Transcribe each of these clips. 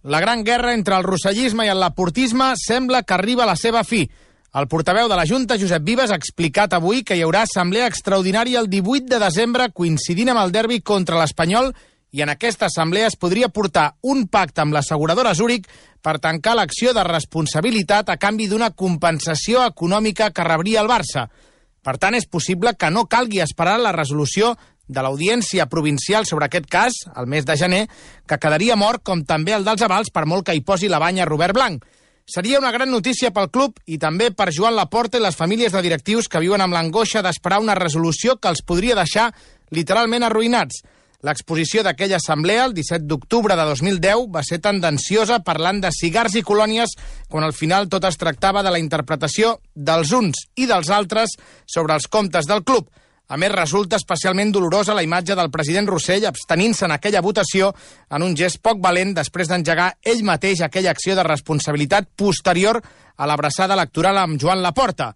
La gran guerra entre el rossellisme i el laportisme sembla que arriba a la seva fi. El portaveu de la Junta, Josep Vives, ha explicat avui que hi haurà assemblea extraordinària el 18 de desembre, coincidint amb el derbi contra l'Espanyol, i en aquesta assemblea es podria portar un pacte amb l'asseguradora Zurich per tancar l'acció de responsabilitat a canvi d'una compensació econòmica que rebria el Barça. Per tant, és possible que no calgui esperar la resolució de l'Audiència Provincial sobre aquest cas, el mes de gener, que quedaria mort, com també el dels avals, per molt que hi posi la banya Robert Blanc. Seria una gran notícia pel club i també per Joan Laporta i les famílies de directius que viuen amb l'angoixa d'esperar una resolució que els podria deixar literalment arruïnats. L'exposició d'aquella assemblea, el 17 d'octubre de 2010, va ser tendenciosa parlant de cigars i colònies quan al final tot es tractava de la interpretació dels uns i dels altres sobre els comptes del club. A més, resulta especialment dolorosa la imatge del president Rossell abstenint-se en aquella votació en un gest poc valent després d'engegar ell mateix aquella acció de responsabilitat posterior a l'abraçada electoral amb Joan Laporta.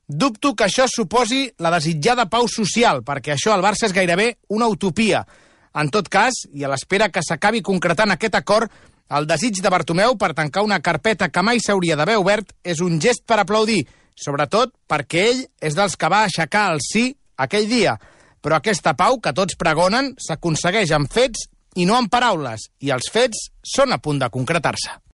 Dubto que això suposi la desitjada pau social, perquè això al Barça és gairebé una utopia. En tot cas, i a l'espera que s'acabi concretant aquest acord, el desig de Bartomeu per tancar una carpeta que mai s'hauria d'haver obert és un gest per aplaudir, sobretot perquè ell és dels que va aixecar el sí aquell dia. Però aquesta pau que tots pregonen s'aconsegueix amb fets i no amb paraules, i els fets són a punt de concretar-se.